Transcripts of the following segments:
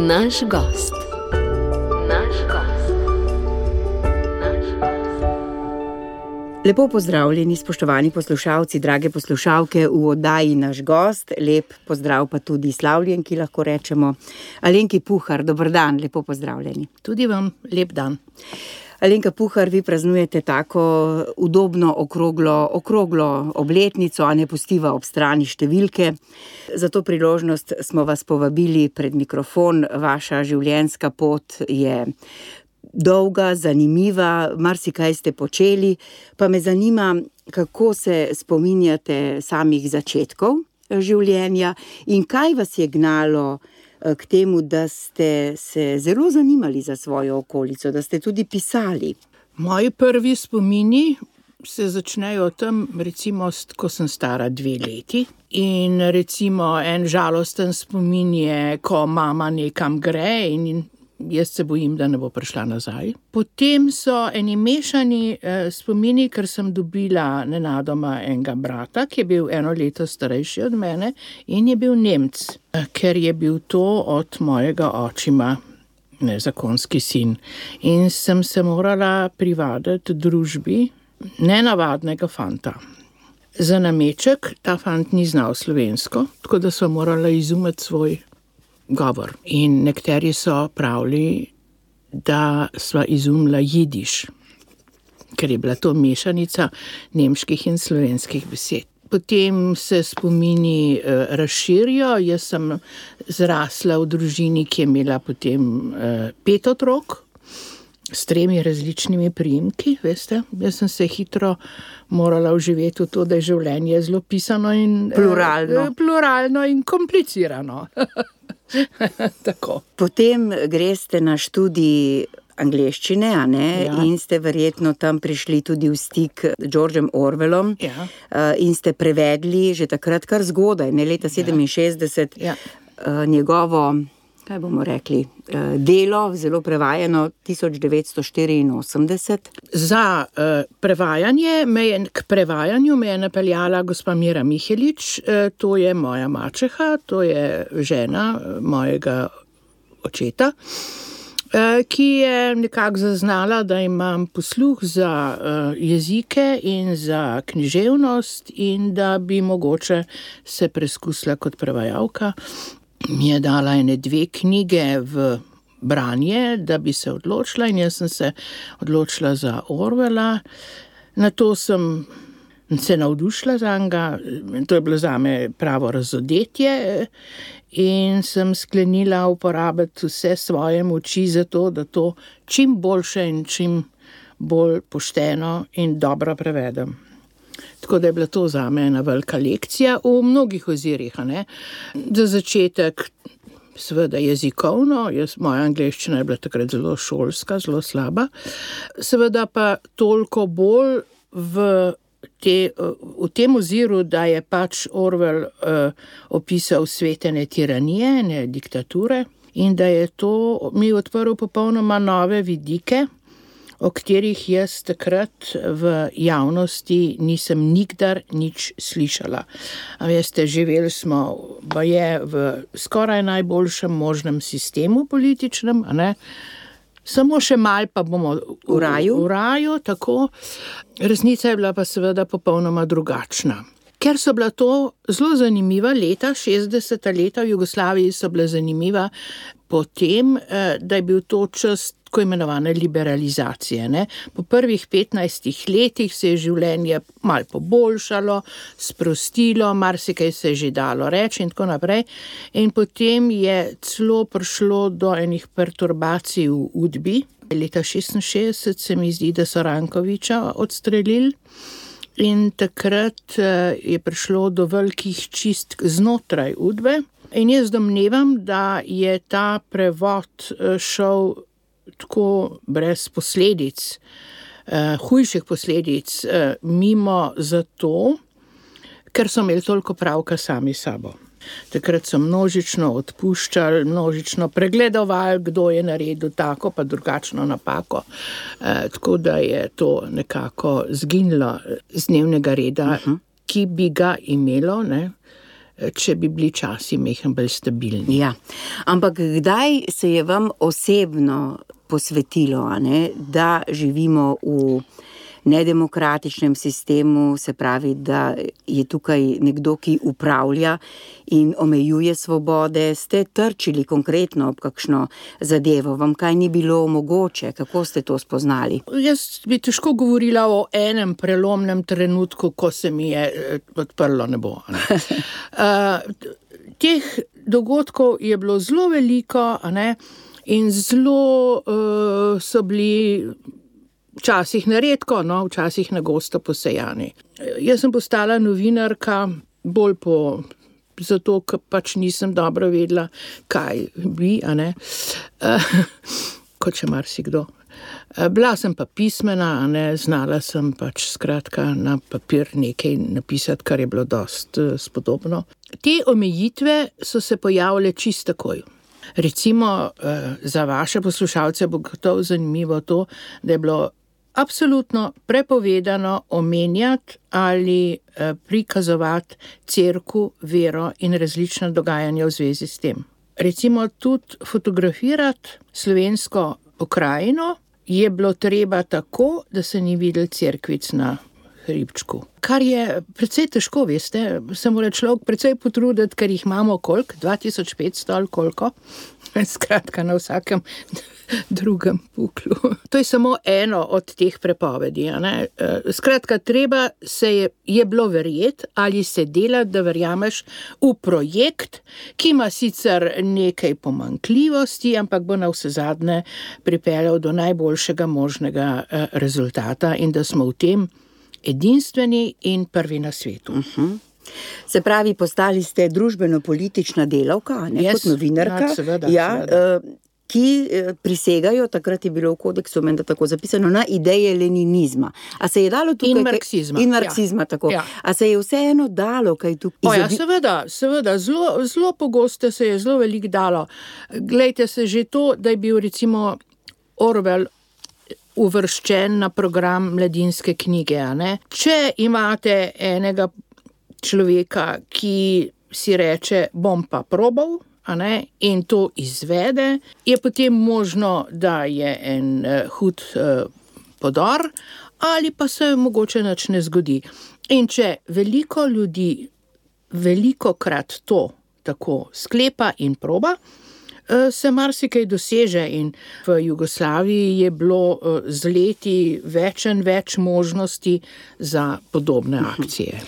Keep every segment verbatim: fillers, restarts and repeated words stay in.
Naš gost. Naš gost. Naš gost. Lepo pozdravljeni, spoštovani poslušalci, drage poslušalke v oddaji Naš gost. Lep pozdrav pa tudi slavljenki, lahko rečemo. Alenki Puhar, dober dan, lepo pozdravljeni. Tudi vam lep dan. Alenka Puhar, vi praznujete tako udobno okroglo, okroglo obletnico, a ne pustiva ob strani številke. Za to priložnost smo vas povabili pred mikrofon. Vaša življenjska pot je dolga, zanimiva, marsikaj ste počeli, pa me zanima, kako se spominjate samih začetkov življenja in kaj vas je gnalo k temu, da ste se zelo zanimali za svojo okolico, da ste tudi pisali. Moji prvi spomini se začnejo tam, recimo, ko sem stara dve leti. In recimo en žalosten spomin je, ko mama nekam gre in jaz se bojim, da ne bo prišla nazaj. Potem so eni mešani eh, spomini, ker sem dobila nenadoma enega brata, ki je bil eno leto starejši od mene in je bil Nemec, eh, ker je bil to od mojega očima nezakonski sin. In sem se morala privaditi družbi nenavadnega fanta. Za nameček ta fant ni znal slovensko, tako da sem morala izumeti svoj govor. In nekateri so pravili, da sva izumila jidiš, ker je bila to mešanica nemških in slovenskih besed. Potem se spomini eh, razširijo. Jaz sem zrasla v družini, ki je imela potem eh, pet otrok s tremi različnimi priimki, veste. Jaz sem se hitro morala vživeti v to, da je življenje zelo pisano in pluralno, eh, pluralno in komplicirano. Tako. Potem greste na študij angleščine, a ne? Ja. In ste verjetno tam prišli tudi v stik z Georgem Orwellom. Ja. In ste prevedli že takrat kar zgodaj, ne leta sedeminšestdeset, Ja. njegovo, kaj bomo rekli, delo, zelo prevajano, tisoč devetsto štiriinosemdeset. Za uh, prevajanje me je, k prevajanju me je napeljala gospa Mira Mihelič, uh, to je moja mačeha, to je žena mojega očeta, uh, ki je nekako zaznala, da imam posluh za uh, jezike in za književnost in da bi mogoče se preskusila kot prevajalka. Mi je dala ene dve knjige v branje, da bi se odločila, in jaz sem se odločila za Orwella. Na to sem se navdušila za njega, to je bilo zame pravo razodetje in sem sklenila uporabiti vse svoje moči za to, da to čim boljše in čim bolj pošteno in dobro prevedem. Tako da je bila to zame ena velika lekcija v mnogih ozirih, a ne. Za začetek seveda jezikovno, jaz, moja angleščina je bila takrat zelo šolska, zelo slaba. Seveda pa toliko bolj v, te, v tem oziru, da je pač Orwell uh, opisal svetene tiranije, ne diktature, in da je to mi odprl popolnoma nove vidike, o katerih jaz takrat v javnosti nisem nikdar nič slišala. A veste, živeli smo baje v skoraj najboljšem možnem sistemu političnem, a ne? Samo še mal pa bomo v, v raju. V raju, tako. Resnica je bila pa seveda popolnoma drugačna. Ker so bila to zelo zanimiva leta, šestdeseta leta v Jugoslaviji so bila zanimiva potem, da je bil to čas tako imenovane liberalizacije. Ne? Po prvih petnajstih letih se je življenje malo poboljšalo, sprostilo, marsikaj se je že dalo reči in tako naprej. In potem je celo prišlo do enih perturbacij v Udbi. Leta šestinšestdeset se mi zdi, da so Rankovića odstrelili. In takrat je prišlo do velikih čistk znotraj Udbe. In jaz domnevam, da je ta prevod šel tako brez posledic, uh, hujših posledic, uh, mimo zato, ker so imeli toliko pravka sami sabo. Takrat so množično odpuščali, množično pregledovali, kdo je naredil tako pa drugačno napako. E, tako da je to nekako zginilo z dnevnega reda, uh-huh. ki bi ga imelo, ne, če bi bili časi mehen bolj stabilni. Ja, ampak kdaj se je vam osebno posvetilo, a ne, da živimo v nedemokratičnem sistemu, se pravi, da je tukaj nekdo, ki upravlja in omejuje svobode, ste trčili konkretno ob kakšno zadevo, vam kaj ni bilo mogoče, kako ste to spoznali? Jaz bi težko govorila o enem prelomnem trenutku, ko se mi je odprlo nebo. Ne? uh, teh dogodkov je bilo zelo veliko, a ne? In zelo uh, so bili včasih neredko, no, včasih na gosto posejani. Jaz sem postala novinarka bolj po, zato, ker pač nisem dobro vedela, kaj bi, a ne, uh, kot še marsikdo. Uh, bila sem pa pismena, a ne, znala sem pač skratka na papir nekaj napisati, kar je bilo dost uh, spodobno. Te omejitve so se pojavile čisto takoj. Recimo, uh, za vaše poslušalce bo gotovo zanimivo to, da je bilo absolutno prepovedano omenjati ali eh, prikazovati cerkev, vero in različna dogajanja v zvezi s tem. Recimo tudi fotografirati slovensko pokrajino je bilo treba tako, da se ni videl cerkvic na hribčku. Kar je precej težko, veste, se mora človek precej potruditi, ker jih imamo koliko, dva tisoč petsto ali koliko, skratka na vsakem drugem puklu. To je samo eno od teh prepovedi. A ne? Skratka, treba se je, je bilo verjeti ali se delati, da verjameš v projekt, ki ima sicer nekaj pomanjkljivosti, ampak bo na vsezadnje pripeljal do najboljšega možnega rezultata in da smo v tem edinstveni in prvi na svetu. Uh-huh. Se pravi, postali ste družbeno-politična delavka, ne, yes, kot novinarka, ja, seveda, ja, seveda. ki prisegajo, takrat je bilo v kodeksu menda tako zapisano, na ideje leninizma. A se je dalo tukaj... In marksizma. In marksizma, ja. Tako. Ja. A se je vseeno dalo kaj tukaj? O, ja, seveda, seveda, zelo, zelo pogosto se je zelo veliko dalo. Glejte se že to, da je bil recimo Orwell uvrščen na program Mladinske knjige, a ne? Če imate enega človeka, ki si reče, bom pa probal, a ne, in to izvede, je potem možno, da je en uh, hud uh, podor, ali pa se mogoče nič ne zgodi. In če veliko ljudi velikokrat to tako sklepa in proba, se marsikaj doseže in v Jugoslaviji je bilo z leti več in več možnosti za podobne akcije.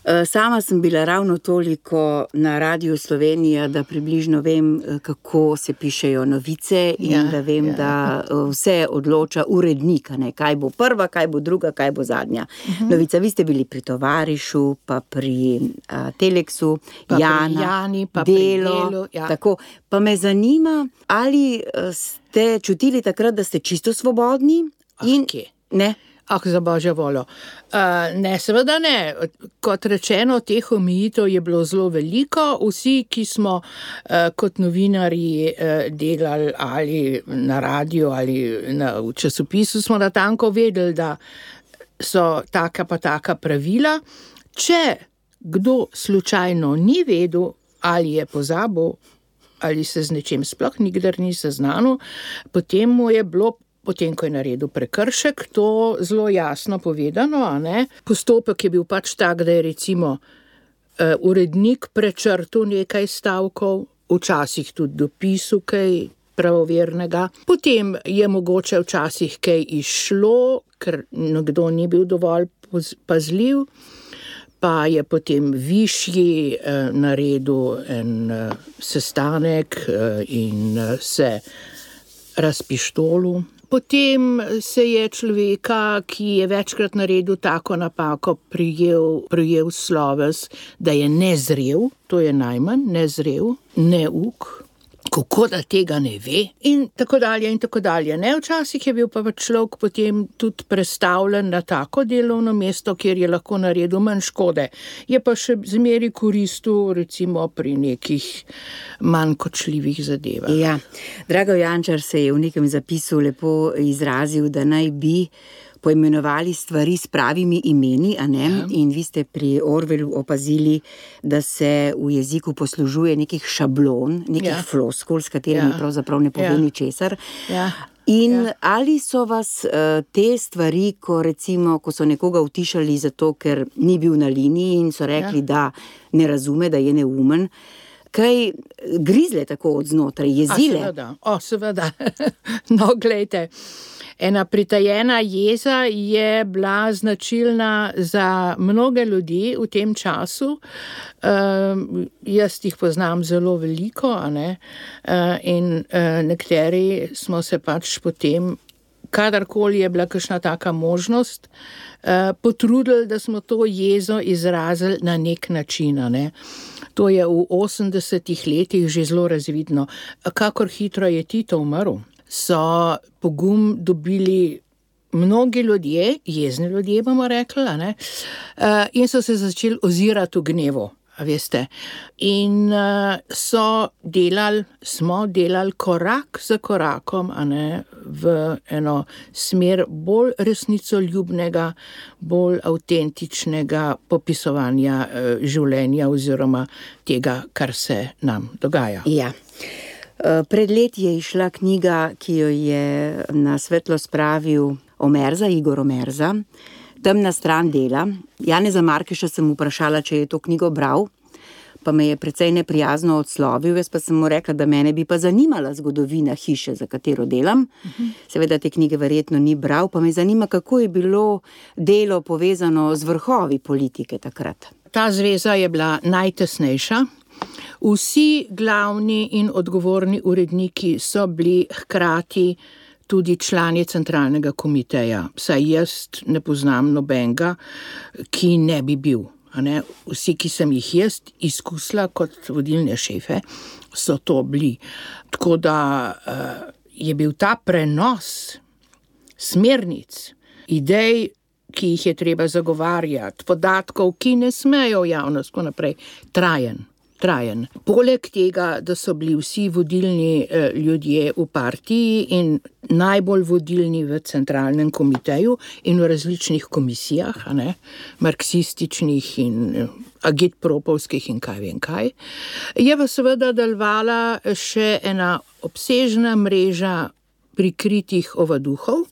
Sama sem bila ravno toliko na Radiu Slovenija, da približno vem, kako se pišejo novice in ja, da vem, ja. Da vse odloča urednika, ne, kaj bo prva, kaj bo druga, kaj bo zadnja. Uh-huh. Novica, vi ste bili pri Tovarišu, pa pri a, Teleksu, pa Jana, pri Jani, pa Delo, pri Delu, ja. Tako. Pa me zanima, ali ste čutili takrat, da ste čisto svobodni? In, okay. Ne? Ah, za božjo voljo. Uh, ne, seveda ne. Kot rečeno, teh omejitev je bilo zelo veliko. Vsi, ki smo uh, kot novinarji uh, delali ali na radiju ali na, v časopisu, smo natanko vedeli, da so taka pa taka pravila. Če kdo slučajno ni vedel ali je pozabil ali se z nečim sploh nikdar ni seznanil, potem mu je bilo potem, ko je naredil prekršek, to zelo jasno povedano, a ne? Postopek je bil pač tak, da je recimo uh, urednik prečrtil nekaj stavkov, včasih tudi dopisal kaj pravovernega. Potem je mogoče včasih kaj izšlo, ker nekdo ni bil dovolj pazljiv, pa je potem višji uh, naredil en uh, sestanek uh, in uh, se razpištolil. Potem se je človeka, ki je večkrat naredil tako napako, prijel, prijel sloves, da je nezrel, to je najmanj, nezrel, neuk, kako da tega ne ve in tako dalje in tako dalje. Ne, včasih je bil pa človek potem tudi prestavljen na tako delovno mesto, kjer je lahko naredil manj škode. Je pa še zmeri koristil recimo pri nekih manj kočljivih zadevah. Ja, Drago Jančar se je v nekem zapisu lepo izrazil, da naj bi poimenovali stvari s pravimi imeni, a ne? Ja. In vi ste pri Orwellu opazili, da se v jeziku poslužuje nekih šablon, nekih ja. floskul, s katerimi ja. pravzaprav ne pove ja. ničesar. Ja. In ja. ali so vas uh, te stvari, ko recimo, ko so nekoga utišali zato, ker ni bil na liniji in so rekli, ja. da ne razume, da je neumen, kaj grizle tako od znotraj, jezile? A, seveda, o, seveda. No, glejte, ena pritajena jeza je bila značilna za mnoge ljudi v tem času. Uh, jaz jih poznam zelo veliko, a ne? Uh, in uh, nekateri smo se pač potem, kadarkoli je bila kakšna taka možnost, uh, potrudili, da smo to jezo izrazili na nek način, a ne? To je v osemdesetih letih že zelo razvidno. Kakor hitro je Tito umrl, so pogum dobili mnogi ljudje, jezni ljudje bomo rekli, a ne? Uh, in so se začeli ozirati v gnevu, a veste. In uh, so delali, smo delali korak za korakom, a ne, v eno smer bolj resnicoljubnega, bolj avtentičnega popisovanja uh, življenja oziroma tega, kar se nam dogaja. Ja. Pred leti je išla knjiga, ki jo je na svetlo spravil Omerza, Igor Omerza, Temna stran dela. Janeza Markeša sem vprašala, če je to knjigo bral, pa me je precej neprijazno odslovil, jaz pa sem mu rekla, da mene bi pa zanimala zgodovina hiše, za katero delam. Uh-huh. Seveda te knjige verjetno ni bral, pa me zanima, kako je bilo delo povezano z vrhovi politike takrat. Ta zveza je bila najtesnejša. Vsi glavni in odgovorni uredniki so bili hkrati tudi člani centralnega komiteja. Saj jaz ne poznam nobenega, ki ne bi bil. A ne? Vsi, ki sem jih jaz izkusila kot vodilne šefe, so to bili. Tako da uh, je bil ta prenos smernic, idej, ki jih je treba zagovarjati, podatkov, ki ne smejo v javnost, tako naprej, trajen. trajen. Poleg tega, da so bili vsi vodilni eh, ljudje v partiji in najbolj vodilni v centralnem komiteju in v različnih komisijah, a ne, marksističnih in eh, agitpropovskih in kaj vem kaj, je pa seveda delovala še ena obsežna mreža prikritih ovaduhov,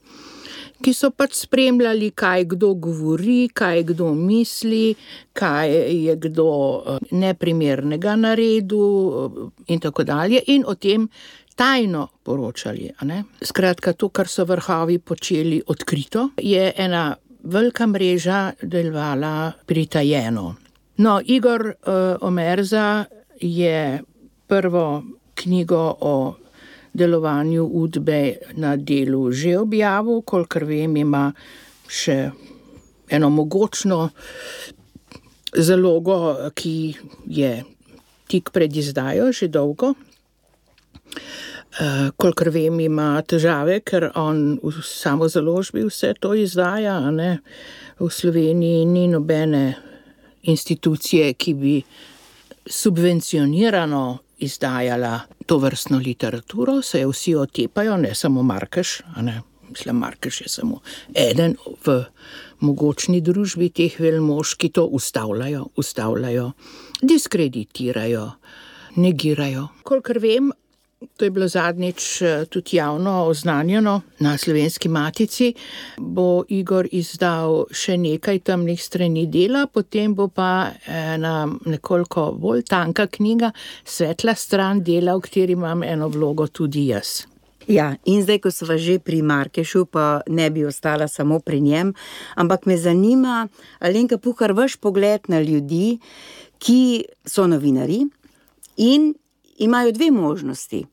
ki so pač spremljali, kaj kdo govori, kaj kdo misli, kaj je kdo neprimernega naredil in tako dalje, in o tem tajno poročali. A ne? Skratka, to, kar so vrhovi počeli odkrito, je ena velika mreža delovala pritajeno. No, Igor uh, Omerza je prvo knjigo o delovanju Udbe na delu že objavil, kolikor vem, ima še eno mogočno zalogo, ki je tik pred izdajo že dolgo. Uh, kolikor vem, ima težave, ker on v samozaložbi vse to izdaja, a ne? V Sloveniji ni nobene institucije, ki bi subvencionirano izdajala to vrstno literaturo, se jo vsi otepajo, ne samo Markeš, a ne, mislim, Markeš je samo eden v mogočni družbi teh velmož, ki to ustavljajo, ustavljajo, diskreditirajo, negirajo. Kolikor vem, to je bilo zadnjič tudi javno oznanjeno na Slovenski matici, bo Igor izdal še nekaj temnih strani dela, potem bo pa ena nekoliko bolj tanka knjiga, Svetla stran dela, v kateri imam eno vlogo tudi jaz. Ja, in zdaj, ko sva že pri Markešu, pa ne bi ostala samo pri njem, ampak me zanima, Alenka Puhar, vaš pogled na ljudi, ki so novinari in imajo dve možnosti.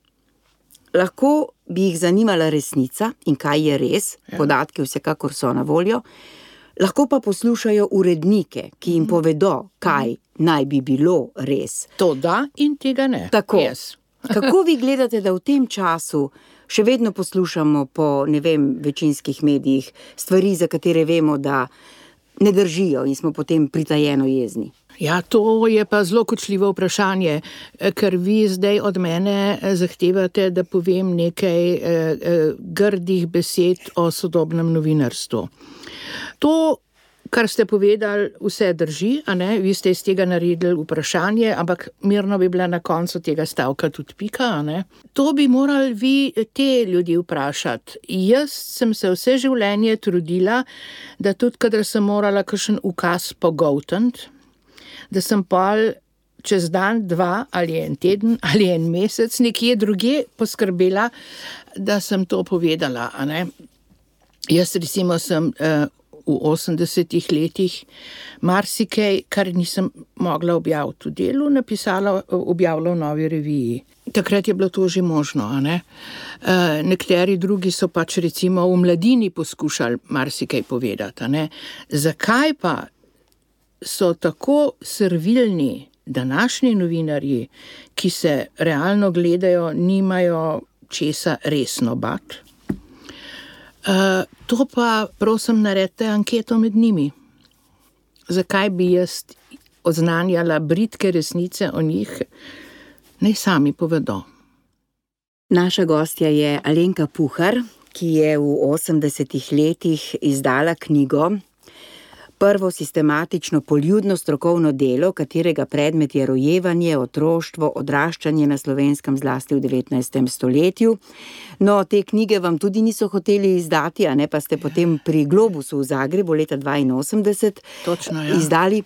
Lahko bi jih zanimala resnica in kaj je res, ja. Podatke vsekakor so na voljo, lahko pa poslušajo urednike, ki jim povedo, kaj naj bi bilo res. To da in tega ne. Tako. Yes. Kako vi gledate, da v tem času še vedno poslušamo po, ne vem, večinskih medijih stvari, za katere vemo, da ne držijo in smo potem pritajeno jezni? Ja, to je pa zelo kočljivo vprašanje, ker vi zdaj od mene zahtevate, da povem nekaj eh, eh, grdih besed o sodobnem novinarstvu. To, kar ste povedali, vse drži, a ne? Vi ste iz tega naredili vprašanje, ampak mirno bi bila na koncu tega stavka tudi pika, a ne? To bi morali vi te ljudi vprašati. Jaz sem se vse življenje trudila, da tudi, kadar sem morala kakšen ukaz pogoltniti, da sem pol čez dan, dva ali en teden ali en mesec nekje drugje poskrbela, da sem to povedala, a ne. Jaz recimo sem uh, v osemdesetih letih marsikaj, kar nisem mogla objaviti v Delu, napisala, objavila v Novi reviji. Takrat je bilo to že možno, a ne. Uh, nekateri drugi so pač recimo v Mladini poskušali marsikaj povedati, a ne. Zakaj pa so tako servilni današnji novinarji, ki se realno gledajo, nimajo česa resno bat? Uh, to pa, prosim, naredite anketo med njimi. Zakaj bi jaz oznanjala bridke resnice o njih? Naj sami povedo. Naša gostja je Alenka Puhar, ki je v osemdesetih letih izdala knjigo, prvo sistematično poljudno strokovno delo, katerega predmet je rojevanje, otroštvo, odraščanje na Slovenskem, zlasti v devetnajstem stoletju. No, te knjige vam tudi niso hoteli izdati, a ne, pa ste potem pri Globusu v Zagrebu leta dvainosemdeset Točno, ja. izdali.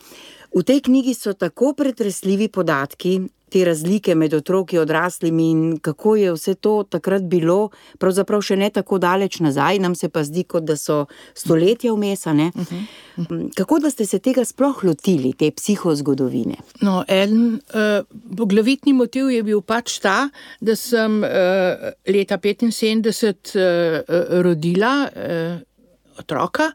V tej knjigi so tako pretresljivi podatki, te razlike med otroki, odraslimi in kako je vse to takrat bilo, pravzaprav še ne tako daleč nazaj, nam se pa zdi, kot da so stoletja vmes, a ne? Uh-huh. Kako da ste se tega sploh lotili, te psihozgodovine? No, en uh, poglavitni motiv je bil pač ta, da sem uh, leta petinsedemdeset uh, rodila uh, otroka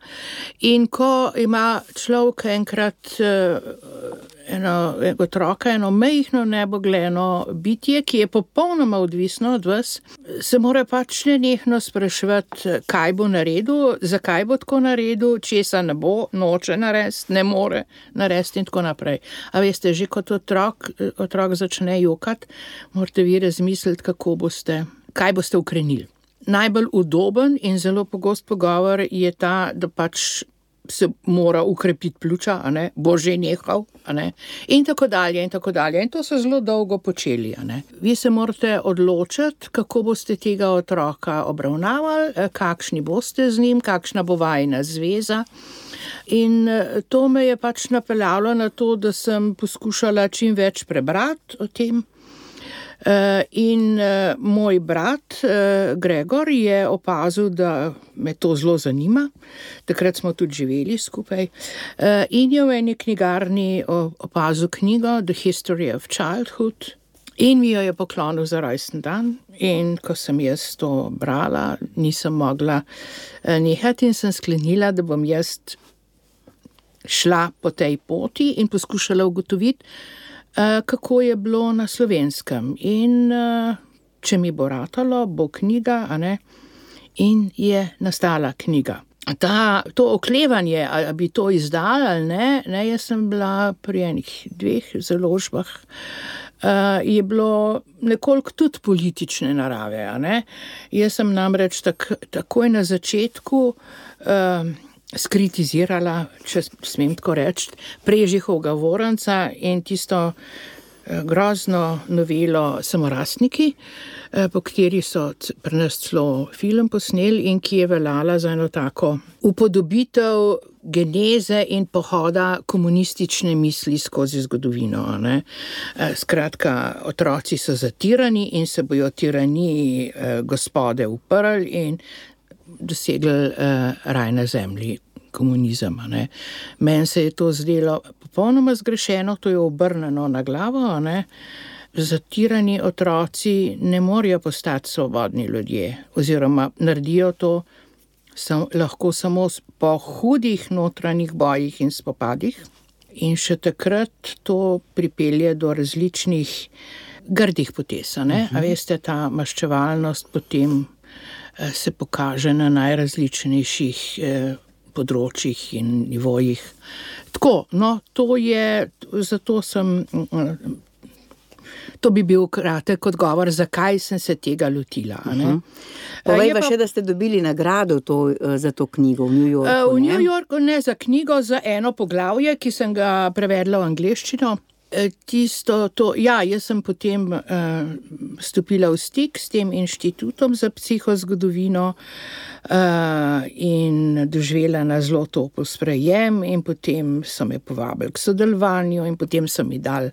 in ko ima človek enkrat uh, eno otroka, eno majhno nebogljeno bitje, ki je popolnoma odvisno od vas, se mora pač nenehno spraševati, kaj bo naredil, zakaj bo tako naredil, česa ne bo, noče narediti, ne more narediti in tako naprej. A veste, že kot otrok, otrok začne jokati, morate vi razmisliti, kako boste, kaj boste ukrenili. Najbolj udoben in zelo pogost pogovor je ta, da pač se mora ukrepiti pljuča, a ne, bo že nehal, a ne, in tako dalje, in tako dalje. In to so zelo dolgo počeli, a ne. Vi se morate odločiti, kako boste tega otroka obravnavali, kakšni boste z njim, kakšna bo vajina zveza. In to me je pač napeljalo na to, da sem poskušala čim več prebrati o tem. Uh, in uh, moj brat uh, Gregor je opazil, da me to zelo zanima. Takrat smo tudi živeli skupaj. Uh, in je v eni knjigarni opazil knjigo The History of Childhood in mi jo je poklonil za rojsten dan. In ko sem jaz to brala, nisem mogla uh, nehati in sem sklenila, da bom jaz šla po tej poti in poskušala ugotoviti, Uh, kako je bilo na Slovenskem in uh, če mi bo ratalo, bo knjiga, a ne, in je nastala knjiga. Ta, to oklevanje, ali bi to izdala ali ne, ne, jaz sem bila pri enih dveh založbah, uh, je bilo nekoliko tudi politične narave, a ne. Jaz sem namreč tak, takoj na začetku uh, skritizirala, če smem tako reči, Prežihovega Voranca in tisto grozno novelo Samorastniki, po kateri so pri nas celo film posneli in ki je veljala za eno tako upodobitev geneze in pohoda komunistične misli skozi zgodovino, ne. Skratka, otroci so zatirani in se bojo tiraniji gospode uprli in dosegli uh, raj na zemlji, komunizem. Ne. Meni se je to zdelo popolnoma zgrešeno, to je obrnjeno na glavo. Ne. Zatirani otroci ne morejo postati svobodni ljudje, oziroma naredijo to sam, lahko samo po hudih notranjih bojih in spopadih. In še takrat to pripelje do različnih grdih potez. Ne. A veste, ta maščevalnost potem se pokaže na najrazličnejših eh, področjih in nivojih. Tako, no, to je, zato sem, to bi bil kratek odgovor, zakaj sem se tega lotila. A ne? Uh-huh. Povej pa še, da ste dobili nagrado to, za to knjigo v New Yorku. V New Yorku ne, za knjigo, za eno poglavje, ki sem ga prevedla v angleščino. Tisto, to, ja, jaz sem potem uh, stopila v stik s tem inštitutom za psihozgodovino uh, in doživela na zelo topel sprejem in potem so me povabili k sodelovanju in potem so mi dali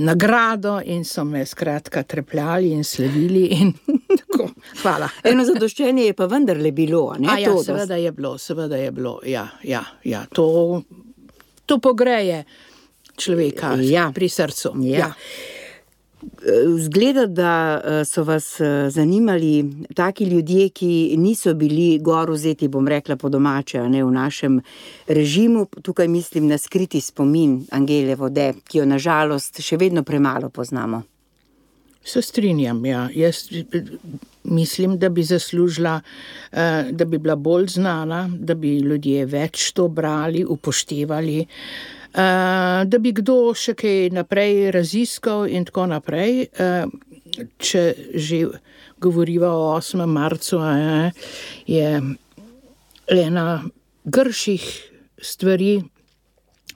nagrado in so me skratka trepljali in slavili in tako, hvala. Eno zadoščenje je pa vendarle bilo, a ne? A ja, to, seveda je bilo, seveda je bilo, ja, ja, ja, to, to pogreje človeka ja. pri srcu. Ja. Ja. Zgleda, da so vas zanimali taki ljudje, ki niso bili gor vzeti, bom rekla po domače, a ne v našem režimu. Tukaj mislim na skriti spomin Angele Vode, ki jo na žalost še vedno premalo poznamo. Se strinjam, ja. Jaz mislim, da bi zaslužila, da bi bila bolj znana, da bi ljudje več to brali, upoštevali, Uh, da bi kdo še kaj naprej raziskal in tako naprej, uh, če že govoriva o osmem marcu, uh, je ena grših stvari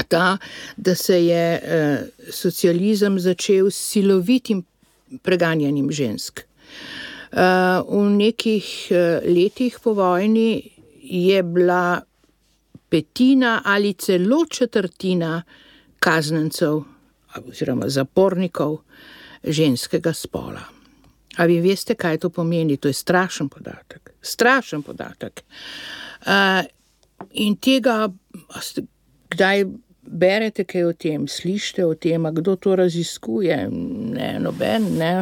ta, da se je uh, socializem začel s silovitim preganjanjem žensk. Uh, v nekih uh, letih po vojni je bila petina ali celo četrtina kaznencev oziroma zapornikov ženskega spola. A vi veste, kaj to pomeni? To je strašen podatek. Strašen podatek. Uh, in tega, kdaj berete kaj o tem, slišite o tem, kdo to raziskuje? Ne, noben, ne.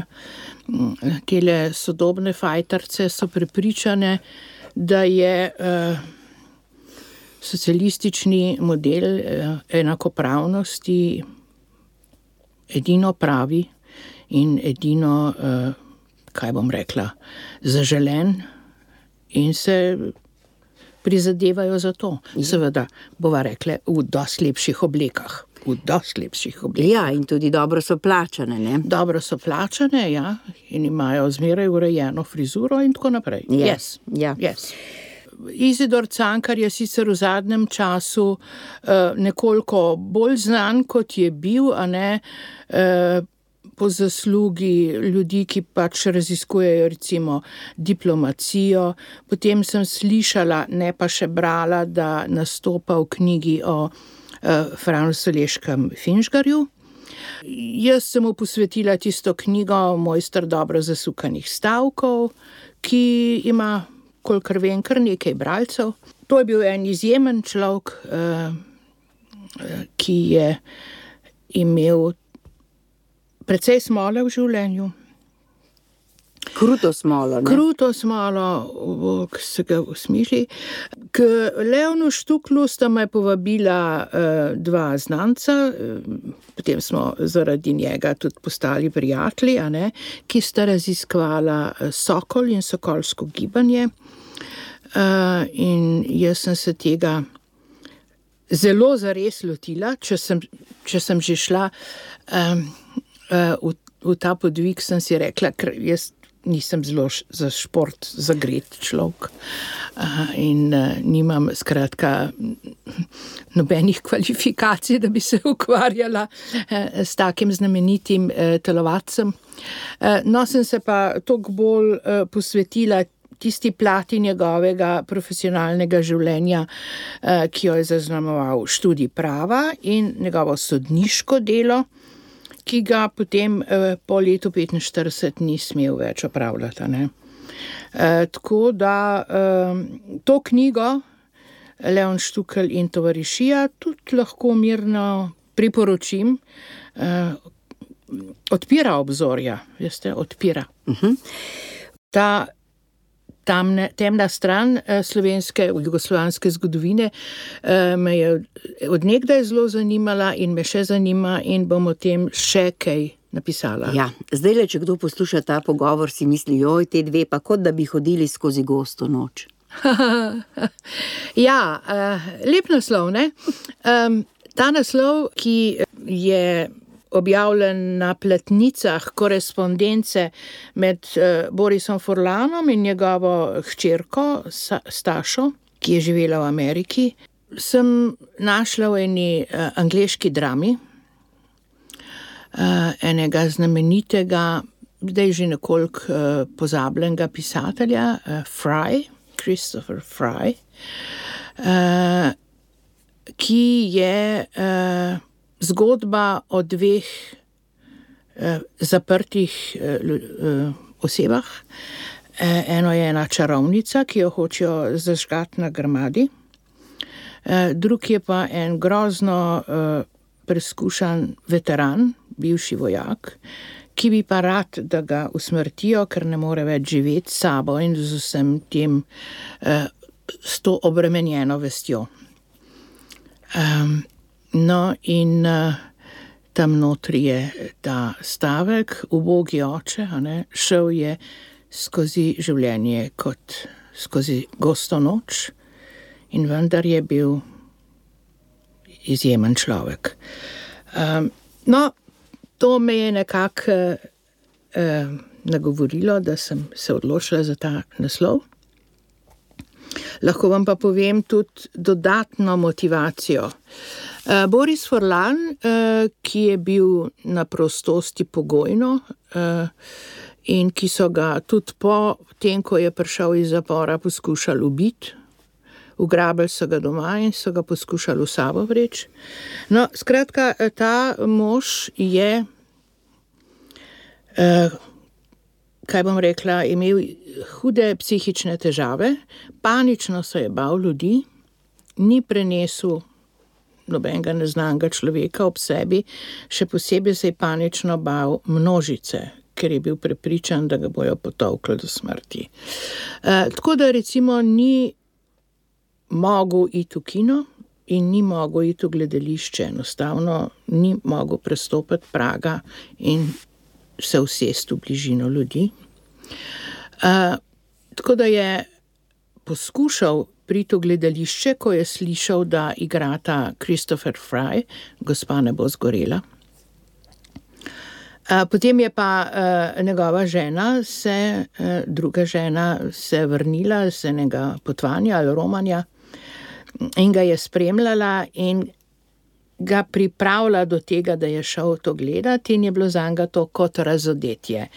Tele sodobne fajtarce so prepričane, da je uh, socialistični model enakopravnosti edino pravi in edino, kaj bom rekla, zaželen in se prizadevajo za to. Seveda, bova rekla, v dosti lepših oblekah. V dosti lepših oblekah. Ja, in tudi dobro so plačane, ne? Dobro so plačane, ja, in imajo zmeraj urejeno frizuro in tako naprej. Yes, yes, ja. yes. Izidor Cankar je sicer v zadnjem času uh, nekoliko bolj znan, kot je bil, a ne uh, po zaslugi ljudi, ki pač raziskujejo recimo diplomacijo. Potem sem slišala, ne pa še brala, da nastopa v knjigi o uh, Franu Saleškem Finžgarju. Jaz sem mu posvetila tisto knjigo Mojster dobro zasukanih stavkov, ki ima kolikor vem, kar nekaj bralcev. To je bil en izjemen človek, ki je imel precej smole v življenju. Kruto smolo, ne? Kruto smolo, ki se ga usmišli. K Leonu Štuklu sta me povabila dva znanca, potem smo zaradi njega tudi postali prijatelji, a ne, ki sta raziskvala sokol in sokolsko gibanje. Uh, in jaz sem se tega zelo zares lotila, če sem, če sem že šla um, uh, v, v ta podvig, sem si rekla, ker jaz nisem zelo za šport zagret človek uh, in uh, nimam skratka nobenih kvalifikacij, da bi se ukvarjala uh, s takim znamenitim uh, telovadcem. Uh, no, sem se pa toliko bolj uh, posvetila tisti plati njegovega profesionalnega življenja, ki jo je zaznamoval študij prava in njegovo sodniško delo, ki ga potem po letu petinštirideset ni smel več opravljati. Ne? Tako da to knjigo Leon Štukelj in tovarišija tudi lahko mirno priporočim. Odpira obzorja, veste, odpira. Uh-huh. Ta Tamne, temna stran eh, slovenske, jugoslovanske zgodovine eh, me je od nekdaj zelo zanimala in me še zanima in bom o tem še kaj napisala. Ja, zdaj le, če kdo posluša ta pogovor, si misli, joj, te dve, pa kot da bi hodili skozi gosto noč. Ja, uh, lep naslov, ne? Um, ta naslov, ki je objavljen na platnicah korespondence med uh, Borisom Furlanom in njegovo hčerko Sa- Stašo, ki je živela v Ameriki, sem našla v eni uh, angleški drami, uh, enega znamenitega, zdaj že nekoliko uh, pozabljenega pisatelja, uh, Fry, Christopher Fry, uh, ki je uh, zgodba o dveh uh, zaprtih uh, uh, osebah. Uh, eno je ena čarovnica, ki jo hočejo zažgati na grmadi, uh, drug je pa en grozno uh, preskušan veteran, bivši vojak, ki bi pa rad, da ga usmrtijo, ker ne more več živeti s sabo in z vsem tem, uh, s to obremenjeno vestjo. Um, no in uh, tam notri je ta stavek, ubogi oče, a ne, šel je skozi življenje kot skozi gosto noč in vendar je bil izjemen človek. Um, no, to me je nekako eh, nagovorilo, da sem se odločila za ta naslov. Lahko vam pa povem tudi dodatno motivacijo. Eh, Boris Furlan, eh, ki je bil na prostosti pogojno eh, in ki so ga tudi po tem, ko je prišel iz zapora, poskušali ubiti, ugrabili so ga doma in so ga poskušali v sabo vreči. No, skratka, ta mož je, eh, kaj bom rekla, imel hude psihične težave, panično se je bal ljudi, ni prenesel nobenega neznanega človeka ob sebi, še posebej se je panično bal množice, ker je bil prepričan, da ga bojo potolkli do smrti. Eh, tako da recimo ni mogel iti v kino in ni mogel iti v gledališče, enostavno ni mogel prestopiti praga in se usesti v bližino ljudi. Uh, tako da je poskušal priti v gledališče, ko je slišal, da igrata Christopher Fry, Gospa ne bo zgorela. Uh, potem je pa uh, njegova žena, se, uh, druga žena se vrnila z enega potovanja ali romanja in ga je spremljala in ga pripravila do tega, da je šel to gledati in je bilo zanga to kot razodetje.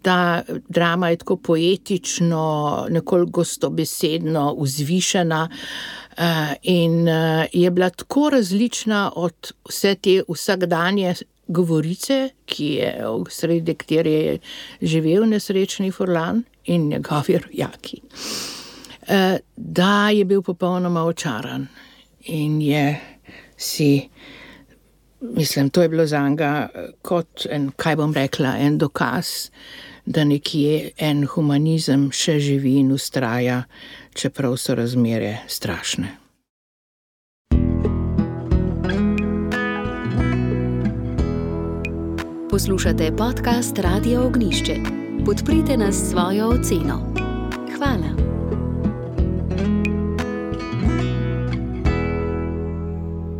Ta drama je tako poetično, nekoliko gostobesedno, vzvišena in je bila tako različna od vse te vsakdanje govorice, ki je v sredi, kjer je živel nesrečni Furlan in njegovi rojaki, da je bil popolnoma očaran in je si, mislim, to je bilo zanga kot en, kaj bom rekla, en dokaz, da nekje en humanizem še živi in ustraja, čeprav so razmere strašne. Poslušate podcast Radio Ognjišče. Podprite nas s svojo oceno. Hvala.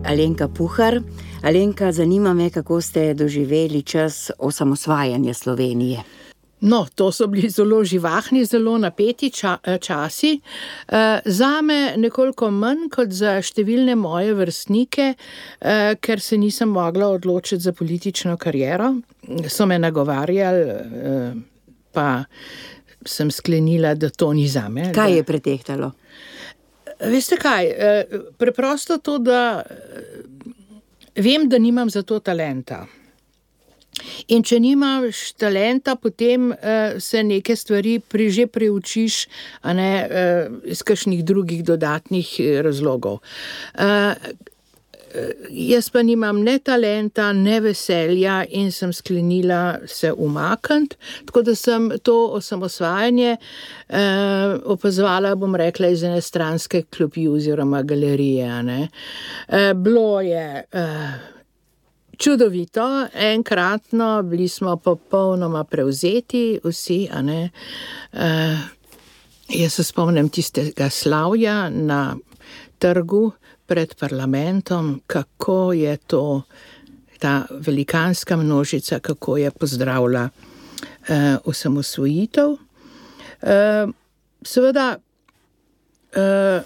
Alenka Puhar. Alenka, zanima me, kako ste doživeli čas osamosvajanja Slovenije. No, to so bili zelo živahni, zelo napeti ča, časi. E, zame nekoliko manj kot za številne moje vrstnike, e, ker se nisem mogla odločiti za politično kariero. So me nagovarjali, e, pa sem sklenila, da to ni zame. Kaj da... je pretehtalo? Veste kaj, preprosto to, da vem, da nimam za to talenta. In če nimaš talenta, potem uh, se neke stvari pri, že preučiš, a ne uh, iz kakšnih drugih dodatnih razlogov. Uh, jaz pa nimam ne talenta, ne veselja in sem sklenila se umakniti, tako da sem to osamosvajanje uh, opazovala, bom rekla, iz ene stranske klopi oziroma galerije. A ne. Uh, bilo je... Uh, Čudovito, enkratno, bili smo popolnoma prevzeti vsi, a ne. Uh, Jaz se spomnim tistega slavja na trgu pred parlamentom, kako je to, ta velikanska množica, kako je pozdravila uh, osamosvojitev. Uh, seveda, uh,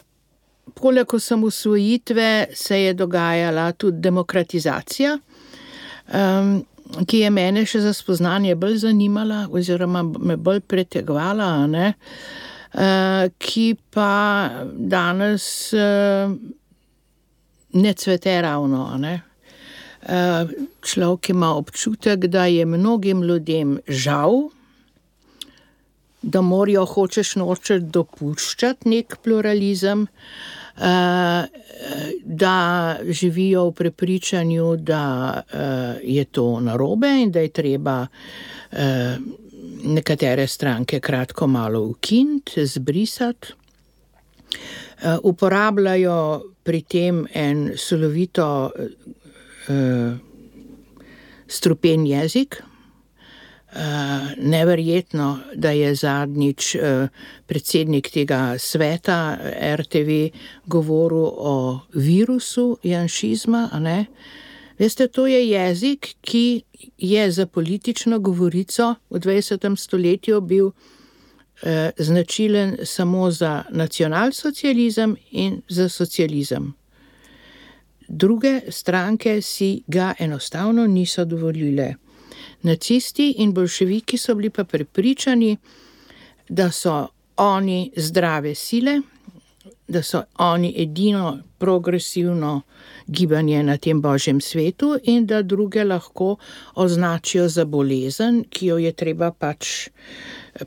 poleg osamosvojitve se je dogajala tudi demokratizacija, um, ki je mene še za spoznanje bolj zanimala oziroma me bolj pretegvala, ne? Uh, ki pa danes uh, ne cvete ravno. Ne? Uh, človek ima občutek, da je mnogim ljudem žal, da morajo hočeš nočeš dopuščati nek pluralizem, uh, da živijo v prepričanju, da uh, je to narobe in da je treba uh, nekatere stranke kratko malo ukiniti, zbrisati. Uh, uporabljajo pri tem en solovito uh, strupen jezik. Uh, neverjetno, da je zadnjič uh, predsednik tega sveta R T V govoril o virusu janšizma, a ne? Veste, to je jezik, ki je za politično govorico v dvajsetem stoletju bil eh, značilen samo za nacionalsocializem in za socializem. Druge stranke si ga enostavno niso dovolile. Nacisti in boljševiki so bili pa prepričani, da so oni zdrave sile, da so oni edino progresivno gibanje na tem božjem svetu in da druge lahko označijo za bolezen, ki jo je treba pač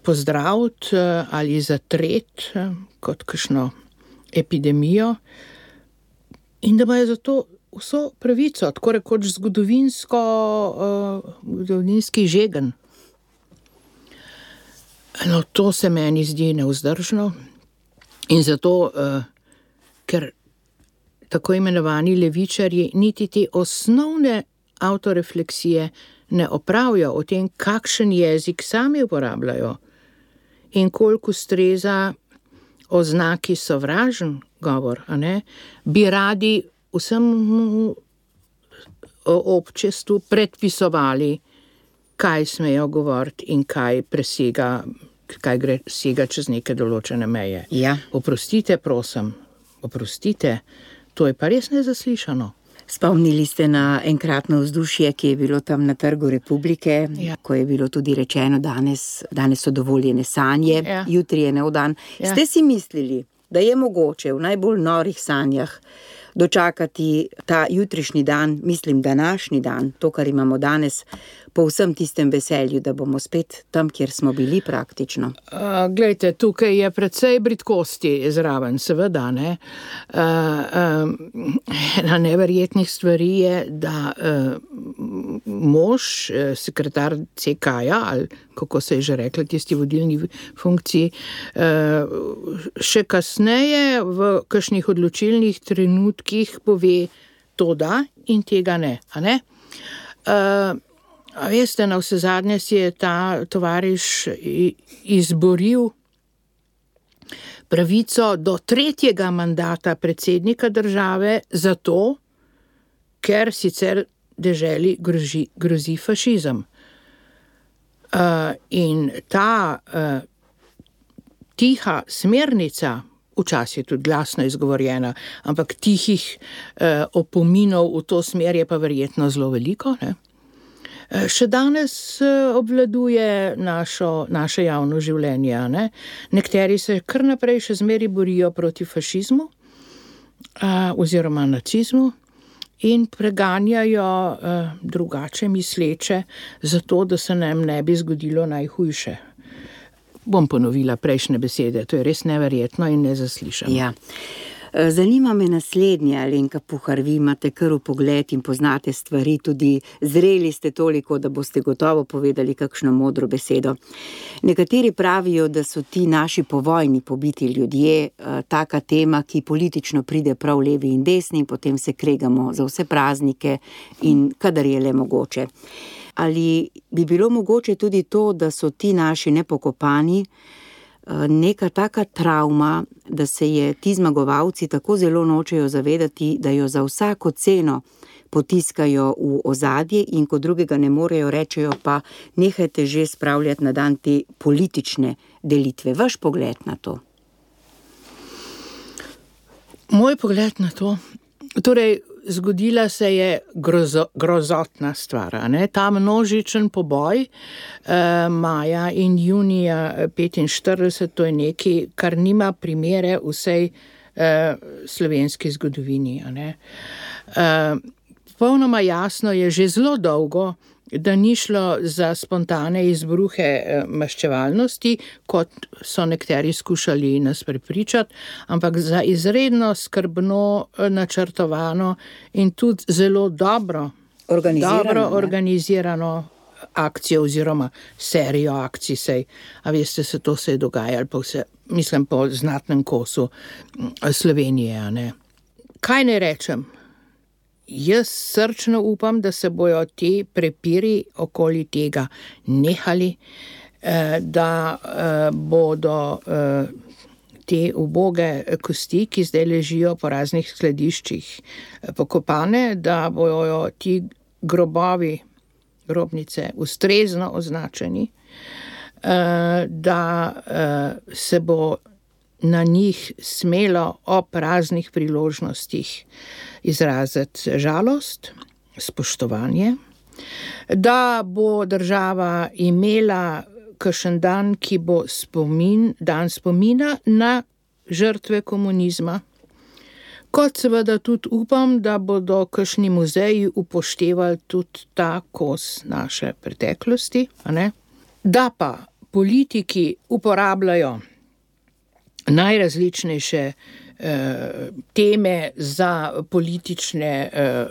pozdraviti ali zatreti kot kakšno epidemijo in da imajo zato vso pravico, tako rekoč zgodovinsko, uh, zgodovinski žegen. No, to se meni zdi nevzdržno. In zato, uh, ker tako imenovani levičarji niti te osnovne avtorefleksije ne opravijo o tem, kakšen jezik sami uporabljajo in koliko ustreza oznaki sovražen govor, a ne, bi radi vsemu občestvu predpisovali, kaj smejo govoriti in kaj presega, kaj gre sega čez neke določene meje. Ja. Oprostite, prosim, oprostite, to je pa res nezaslišano. Spomnili ste na enkratno vzdušje, ki je bilo tam na Trgu Republike, ja. Ko je bilo tudi rečeno, danes, danes so dovoljene sanje, ja. Jutri je nov dan. Ja. Ste si mislili, da je mogoče v najbolj norih sanjah dočakati ta jutrišnji dan, mislim današnji dan, to, kar imamo danes, po vsem tistem veselju, da bomo spet tam, kjer smo bili praktično? Uh, glejte, tukaj je precej bridkosti zraven, seveda, ne. Uh, um, ena neverjetnih stvari je, da uh, mož, uh, sekretar C K-ja, ali kako se je že rekla, tisti vodilni funkciji, uh, še kasneje v kakšnih odločilnih trenutkih pove to da in tega ne, a ne? Uh, A veste, na vse zadnje si je ta tovariš izboril pravico do tretjega mandata predsednika države zato, ker sicer deželi grozi, grozi fašizem. Uh, in ta uh, tiha smernica, včasih tudi glasno izgovorjena, ampak tihih uh, opominov v to smer je pa verjetno zelo veliko, ne? Še danes obvladuje našo, naše javno življenje, ne? Nekateri se kar naprej še zmeri borijo proti fašizmu a, oziroma nacizmu in preganjajo a, drugače misleče zato, da se nam ne bi zgodilo najhujše. Bom ponovila prejšnje besede, to je res neverjetno in nezaslišano. Ja. Zanima me naslednje, Alenka Puhar, vi imate kar vpogled in poznate stvari, tudi zreli ste toliko, da boste gotovo povedali kakšno modro besedo. Nekateri pravijo, da so ti naši povojni pobiti ljudje taka tema, ki politično pride prav levi in desni in potem se kregamo za vse praznike in kadar je le mogoče. Ali bi bilo mogoče tudi to, da so ti naši nepokopani neka taka travma, da se je ti zmagovalci tako zelo nočejo zavedati, da jo za vsako ceno potiskajo v ozadje in ko drugega ne morejo, rečejo pa nehajte že spravljati na dan te politične delitve. Vaš pogled na to? Moj pogled na to? Torej, zgodila se je grozo, grozotna stvar, ne? Ta množičen poboj eh, maja in junija petinštirideset, to je nekaj, kar nima primere v vsej eh, slovenski zgodovini. Ne? Eh, Popolnoma jasno je že zelo dolgo, da ni šlo za spontane izbruhe maščevalnosti, kot so nekateri skušali nas prepričati, ampak za izredno skrbno načrtovano in tudi zelo dobro organizirano, dobro organizirano akcijo oziroma serijo akcij. Sej, a veste, se to se je dogajalo po vse, mislim, po znatnem kosu Slovenije. A ne? Kaj ne rečem? Jaz srčno upam, da se bojo ti prepiri okoli tega nehali, da bodo te uboge kosti, ki zdaj ležijo po raznih skladiščih pokopane, da bojo ti grobovi, grobnice ustrezno označeni, da se bo na njih smelo ob raznih priložnostih izraziti žalost, spoštovanje, da bo država imela kakšen dan, ki bo spomin, dan spomina na žrtve komunizma, kot seveda tudi upam, da bodo kakšni muzeji upoštevali tudi ta kos naše preteklosti, a ne? Da pa politiki uporabljajo najrazličnejše eh, teme za politične eh,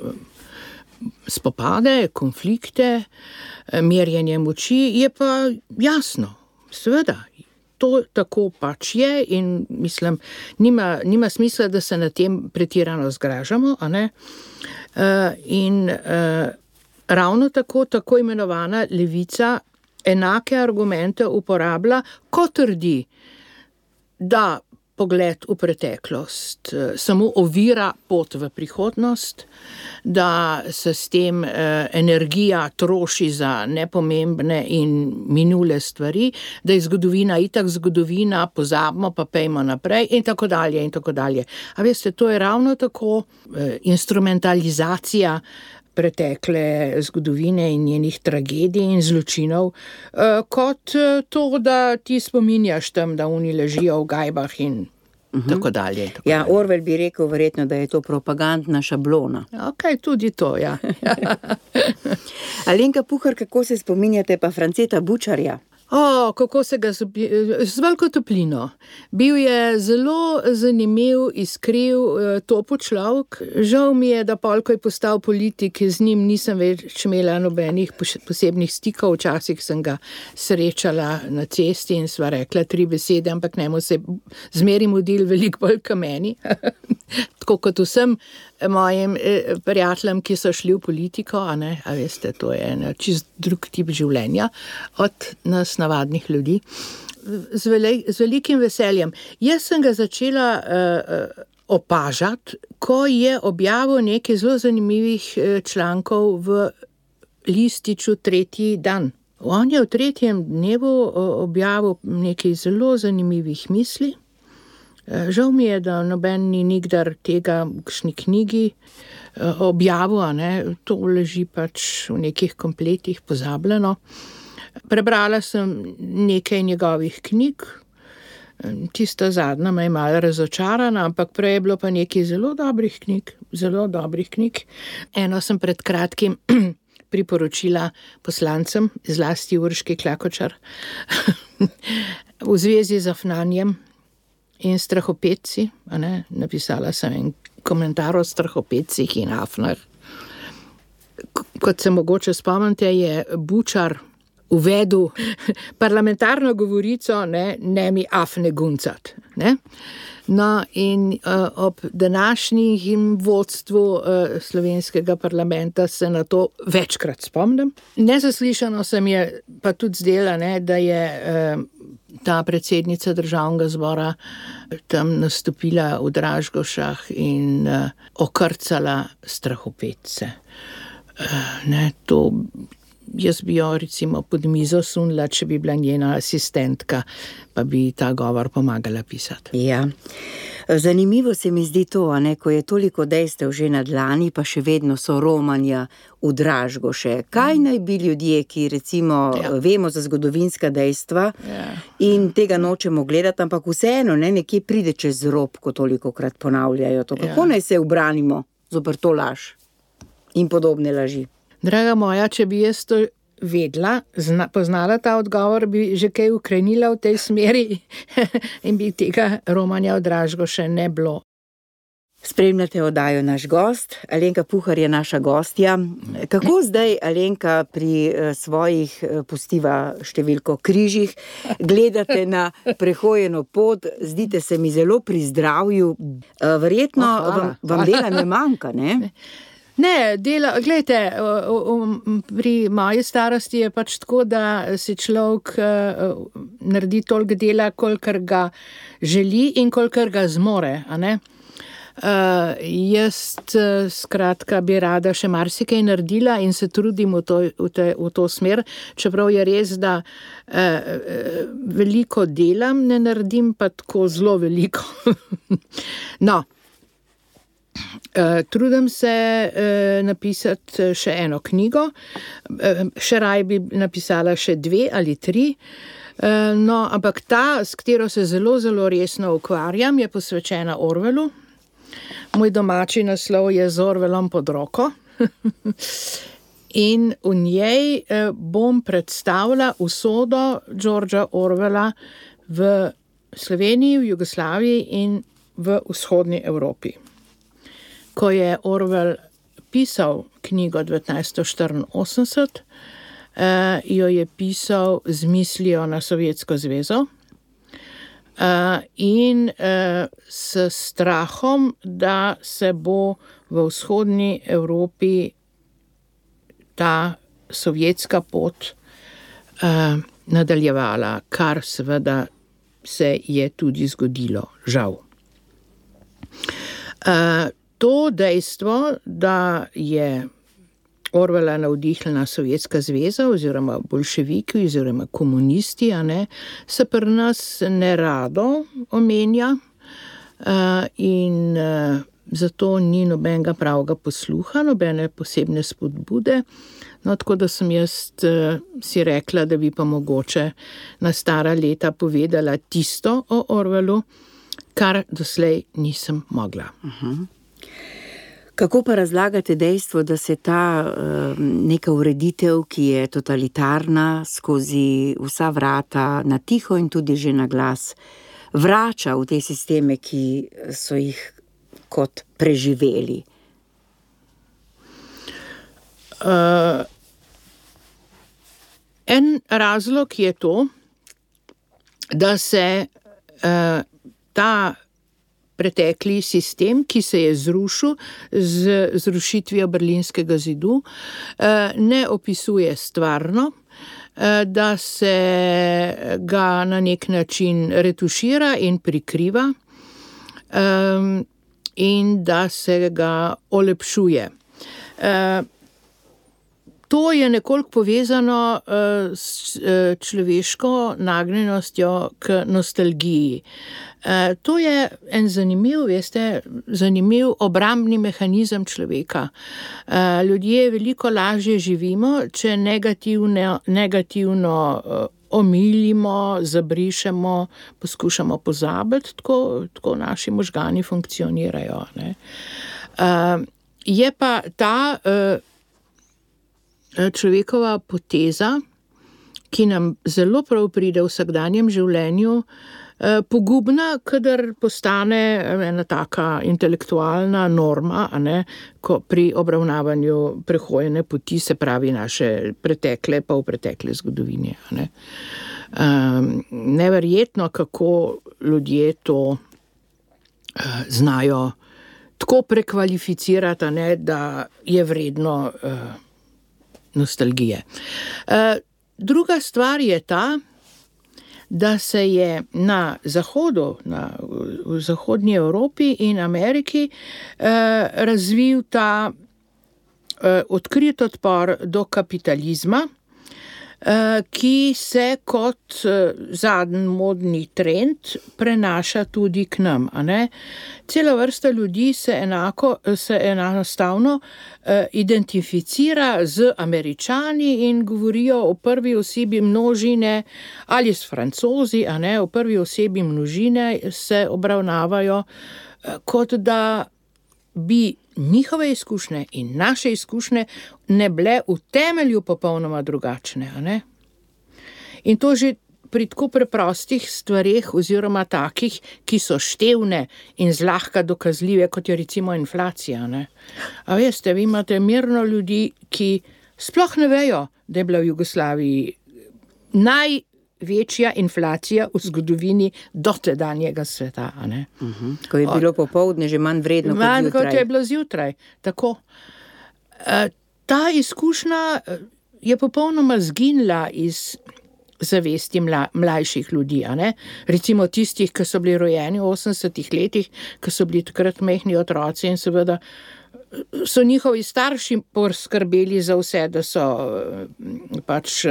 spopade, konflikte, eh, merjenje moči, je pa jasno, seveda, to tako pač je in mislim, nima, nima smisla, da se na tem pretirano zgražamo, a ne? Eh, in eh, ravno tako, tako imenovana levica enake argumente uporablja, ko trdi, da pogled v preteklost samo ovira pot v prihodnost, da se s tem eh, energija troši za nepomembne in minule stvari, da je zgodovina itak zgodovina, pozabimo pa pejmo naprej in tako dalje in tako dalje. A veste, to je ravno tako eh, instrumentalizacija pretekle zgodovine in njenih tragedij in zločinov, kot to, da ti spominjaš tam, da oni ležijo v gajbah in uh-huh. tako dalje. Tako ja, dalje. Orwell bi rekel verjetno, da je to propagandna šablona. Ok, tudi to, ja. Alenka Puhar, kako se spominjate pa Franceta Bučarja? O, kako se ga z veliko toplino. Bil je zelo zanimiv, iskriv, topo človek. Žal mi je, da pol, ko je postal politik, z njim nisem več imela nobenih posebnih stikov. Včasih sem ga srečala na cesti in sva rekla tri besede, ampak njemu se zmeri mudil veliko bolj ka meni. Tako kot vsem mojim prijateljem, ki so šli v politiko, a ne, a veste, to je en čist drug tip življenja od nas navadnih ljudi. Z, veli, z velikim veseljem. Jaz sem ga začela uh, opažati, ko je objavil nekaj zelo zanimivih člankov v lističu Tretji dan. On je v tretjem dnevu objavil nekaj zelo zanimivih misli. Žal mi je, da noben ni nikdar tega v kakšni knjigi objavil, ne? To leži pač v nekih kompletih pozabljeno. Prebrala sem nekaj njegovih knjig, tista zadnja me je malo razočarana, ampak prej je bilo pa nekaj zelo dobrih knjig, zelo dobrih knjig. Eno sem pred kratkim priporočila poslancem, zlasti Urški Klakočar, v zvezi z Afnanjem in strahopetci, a ne, napisala sem en komentar o strahopetcih in Afnar. Kot se mogoče spomnite, je Bučar uvedel parlamentarno govorico, ne, ne mi Afne guncat, ne. No, in uh, ob današnjim vodstvu uh, slovenskega parlamenta se na to večkrat spomnim. Nezaslišano se mi je pa tudi zdela, ne, da je uh, ta predsednica državnega zbora tam nastopila v Dražgošah in uh, okrcala strahopetce. Uh, ne, to jaz bi jo recimo pod mizo sunila, če bi bila njena asistentka, pa bi ta govor pomagala pisati. Ja. Zanimivo se mi zdi to, a ne, ko je toliko dejstev že na dlani, pa še vedno so romanja v Dražgoše. Kaj naj bi ljudje, ki recimo ja. vemo za zgodovinska dejstva ja. in tega nočemo gledati, ampak vseeno ne, nekje pride čez rob, ko tolikokrat ponavljajo to. Kako ja. naj se ubranimo zoper to laž in podobne laži? Draga moja, če bi jaz to vedela, zna, poznala ta odgovor, bi že kaj ukrenila v tej smeri in bi tega romanja v Dražgoše ne bilo. Spremljate oddajo Naš gost, Alenka Puhar je naša gostja. Kako zdaj, Alenka, pri svojih, pustiva številko, križih, gledate na prehojeno pot, zdite se mi zelo pri zdravju, verjetno oh, vam, vam dela ne manjka, ne? Ne, dela, gledajte, pri moji starosti je pač tako, da si človek naredi toliko dela, kolikor ga želi in kolikor ga zmore, a ne? Uh, jaz skratka bi rada še marsikaj naredila in se trudim v to, v te, v to smer, čeprav je res, da uh, veliko delam, ne naredim pa tako zelo veliko. No, uh, trudim se uh, napisati še eno knjigo, uh, še raj bi napisala še dve ali tri, uh, no, ampak ta, s katero se zelo, zelo resno ukvarjam, je posvečena Orwellu. Moj domači naslov je Z Orwellom pod roko in v njej bom predstavila usodo Georgea Orwella v Sloveniji, v Jugoslaviji in v vzhodni Evropi. Ko je Orwell pisal knjigo devetnajststo štiriinosemdeset, jo je pisal z mislijo na Sovjetsko zvezo. Uh, in uh, s strahom, da se bo v vzhodni Evropi ta sovjetska pot uh, nadaljevala, kar seveda se je tudi zgodilo, žal. Uh, to dejstvo, da je Orwella navdihnila Sovjetska zveza oziroma boljševiki oziroma komunisti, a ne, se pri nas ne rado omenja uh, in uh, zato ni nobenega pravega posluha, nobene posebne spodbude. No, tako da sem jaz uh, si rekla, da bi pa mogoče na stara leta povedala tisto o Orwellu, kar doslej nisem mogla. Uh-huh. Kako pa razlagate dejstvo, da se ta uh, neka ureditev, ki je totalitarna, skozi vsa vrata, na tiho in tudi že na glas, vrača v te sisteme, ki so jih kot preživeli? Uh, en razlog je to, da se uh, ta pretekli sistem, ki se je zrušil z zrušitvijo Berlinskega zidu, ne opisuje stvarno, da se ga na nek način retušira in prikriva in da se ga olepšuje. To je nekoliko povezano s človeško nagnjenostjo k nostalgiji. To je en zanimiv, veste, zanimiv obrambni mehanizem človeka. Ljudje veliko lažje živimo, če negativno, negativno omilimo, zabrišemo, poskušamo pozabiti, tako, tako naši možgani funkcionirajo, ne. Je pa ta človekova poteza, ki nam zelo prav pride v vsakdanjem življenju, pogubna, kadar postane ena taka intelektualna norma, a ne, ko pri obravnavanju prehojene poti, se pravi naše pretekle, pa v pretekle zgodovine, a ne. Um, neverjetno, kako ljudje to uh, znajo tako prekvalificirati, a ne, da je vredno uh, nostalgije. Uh, druga stvar je ta, da se je na zahodu, na, v zahodnji Evropi in Ameriki eh, razvil ta eh, odkrit odpor do kapitalizma, ki se kot zadnji modni trend prenaša tudi k nam. A ne? Cela vrsta ljudi se, enako, se enostavno identificira z Američani in govorijo o prvi osebi množine ali s Francozi, a ne, o prvi osebi množine se obravnavajo, kot da bi njihove izkušnje in naše izkušnje ne bile v temelju popolnoma drugačne. A ne? In to že pri tako preprostih stvareh oziroma takih, ki so števne in zlahka dokazljive, kot je recimo inflacija. Ne? A veste, vi imate mirno ljudi, ki sploh ne vejo, da je bila v Jugoslaviji naj večja inflacija v zgodovini dotedanjega sveta. A ne? Uh-huh. Ko je bilo popoldne že manj vredno kot manj zjutraj. Kot je bilo zjutraj. Tako. E, ta izkušnja je popolnoma zginila iz zavesti mla, mlajših ljudi. A ne? Recimo tistih, ki so bili rojeni v osemdesetih letih, ki so bili takrat majhni otroci in seveda so njihovi starši poskrbeli za vse, da so pač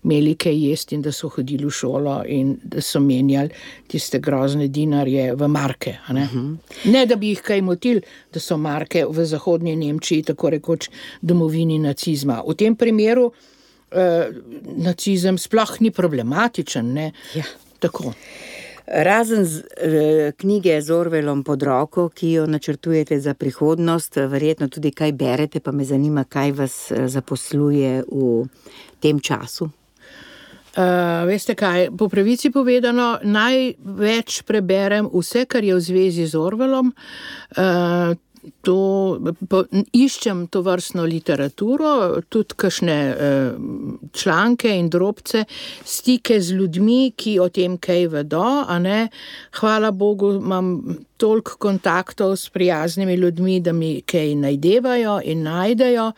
imeli kaj jesti in da so hodili v šolo in da so menjali tiste grozne dinarje v marke. A ne? Uh-huh. Ne, da bi jih kaj motili, da so marke v zahodnji Nemčiji tako rekoč domovini nacizma. V tem primeru eh, nacizem sploh ni problematičen. Ne? Ja. Tako. Razen z, eh, knjige z Orwellom pod roko, ki jo načrtujete za prihodnost, verjetno tudi kaj berete, pa me zanima, kaj vas zaposluje v tem času. Uh, veste kaj, po pravici povedano, največ preberem vse, kar je v zvezi z Orwellom. Uh, To, po, iščem to vrstno literaturo, tudi kakšne eh, članke in drobce, stike z ljudmi, ki o tem kaj vedo, a ne. Hvala Bogu, imam toliko kontaktov s prijaznimi ljudmi, da mi kaj najdevajo in najdejo.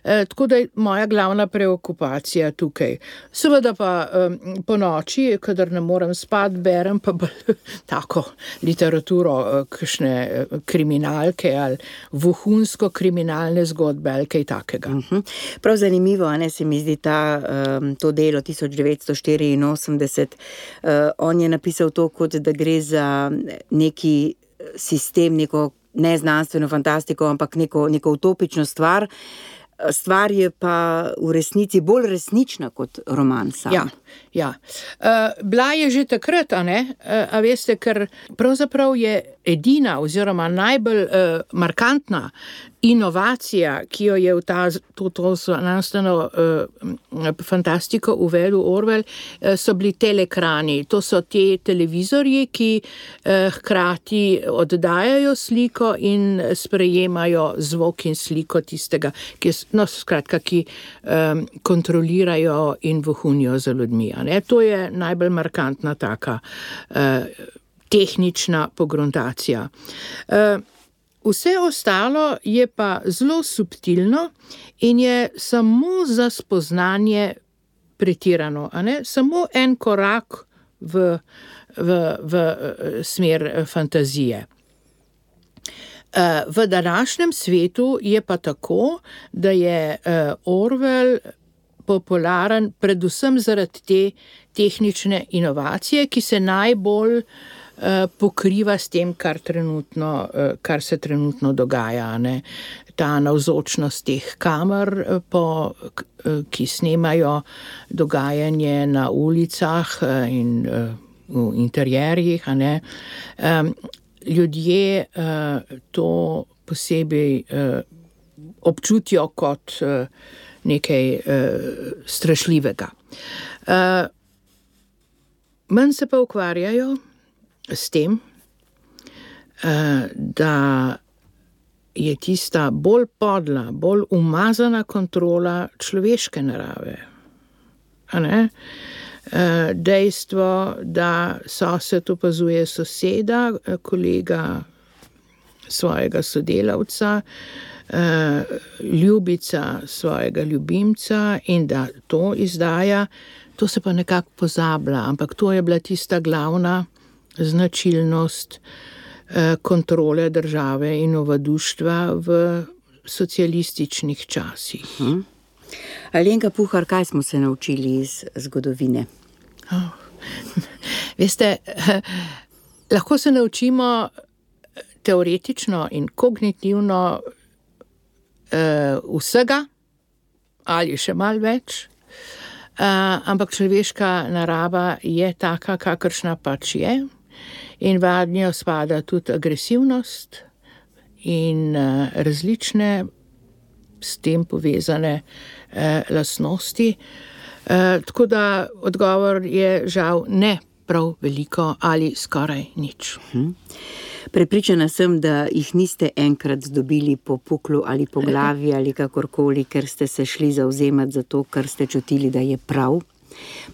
E, tako da je moja glavna preokupacija tukaj. Seveda pa um, po noči, kadar ne morem spat, berem pa bolj tako literaturo, kakšne kriminalke ali vohunsko kriminalne zgodbe ali kaj takega. Uh-huh. Prav zanimivo, a ne, se mi zdi ta, um, to delo tisoč devetsto štiriinosemdeset. Uh, on je napisal to, kot da gre za neki sistem, neko neznanstveno fantastiko, ampak neko, neko utopično stvar. Stvar je pa v resnici bolj resnična kot roman sam. Ja, ja. Uh, bila je že takrat, a ne? Uh, a veste, ker pravzaprav je edina oziroma najbolj uh, markantna inovacija, ki jo je v ta, to, to znanstveno uh, fantastiko uvedel Orwell, uh, so bili telekrani. To so te televizorji, ki uh, hkrati oddajajo sliko in sprejemajo zvok in sliko tistega, ki, no, skratka, ki um, kontrolirajo in vohunijo za ljudmi. A ne? To je najbolj markantna taka uh, tehnična pogruntacija. Uh, Vse ostalo je pa zelo subtilno in je samo za spoznanje pretirano, a ne? Samo en korak v, v, v smer fantazije. V današnjem svetu je pa tako, da je Orwell popularen predvsem zaradi te tehnične inovacije, ki se najbolj pokriva s tem, kar, trenutno, kar se trenutno dogaja. Ne? Ta navzočnost teh kamer, po, ki snemajo dogajanje na ulicah in v interjerjih. A ne? Ljudje to posebej občutijo kot nekaj strašljivega. Manj se pa ukvarjajo s tem, da je tista bolj podla, bolj umazana kontrola človeške narave. A ne? Dejstvo, da sosed opazuje soseda, kolega svojega sodelavca, ljubica svojega ljubimca in da to izdaja To se pa nekako pozablja, ampak to je bila tista glavna značilnost eh, kontrole države in ovaduštva v socialističnih časih. Hmm. Alenka Puhar, kaj smo se naučili iz zgodovine? Oh. Veste, lahko se naučimo teoretično in kognitivno uh, vsega, ali še malo več, uh, ampak človeška narava je taka, kakršna pač je, in vanjo spada tudi agresivnost in uh, različne s tem povezane uh, lastnosti. Uh, tako da odgovor je žal ne prav veliko ali skoraj nič. Hmm. Prepričana sem, da jih niste enkrat zdobili po puklu ali po glavi ali kakorkoli, ker ste se šli zauzemati za to, kar ste čutili, da je prav.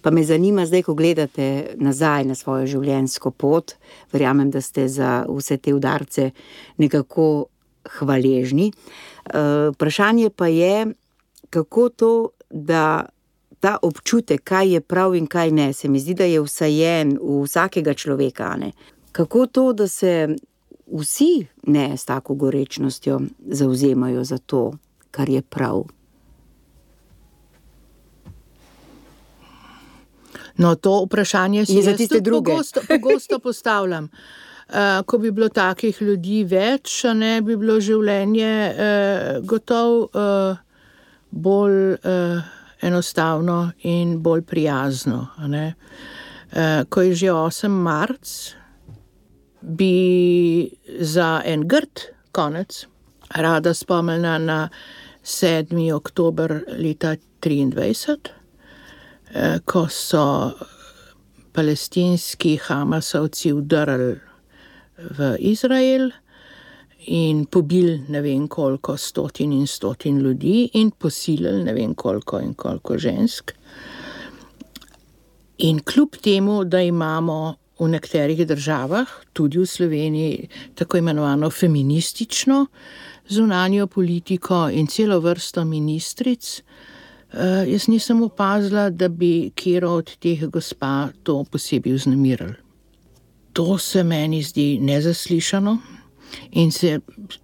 Pa me zanima zdaj, ko gledate nazaj na svojo življenjsko pot, verjamem, da ste za vse te udarce nekako hvaležni. Uh, vprašanje pa je, kako to, da ta občutek, kaj je prav in kaj ne, se mi zdi, da je vsajen v vsakega človeka, ne? Kako to, da se vsi ne s tako gorečnostjo zauzemajo za to, kar je prav? No, to vprašanje si jaz tudi pogosto, pogosto postavljam. Uh, ko bi bilo takih ljudi več, ne bi bilo življenje uh, gotovo uh, bolj uh, enostavno in bolj prijazno. Ne? Uh, ko je že osem marc, bi za en grd konec rada spomnila na sedmi oktober leta triindvajset, uh, ko so palestinski Hamasovci vdrli v Izrael in pobili ne vem koliko stotin in stotin ljudi in posilili ne vem koliko in koliko žensk. In kljub temu, da imamo v nekaterih državah, tudi v Sloveniji, tako imenovano feministično zunanjo politiko in celo vrsto ministric, uh, jaz nisem opazila, da bi katero od teh gospa to posebej vznemirili. To se meni zdi nezaslišano in se,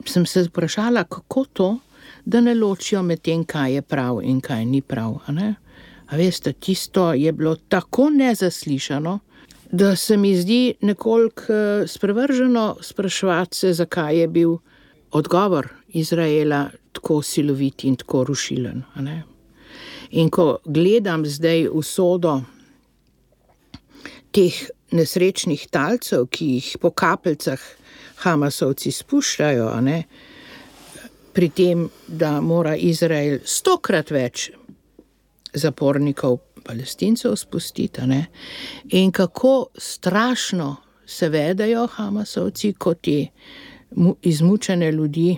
sem se vprašala, kako to, da ne ločijo med tem, kaj je prav in kaj ni prav. A ne? A veste, tisto je bilo tako nezaslišano, da se mi zdi nekoliko sprevrženo spraševati se, zakaj je bil odgovor Izraela tako silovit in tako rušilen. A ne? In ko gledam zdaj usodo teh nesrečnih talcev, ki jih po kapljicah Hamasovci spuščajo, a ne, pri tem, da mora Izrael stokrat več zapornikov Palestincev spustiti, a ne, in kako strašno se vedajo Hamasovci, kot ti izmučene ljudi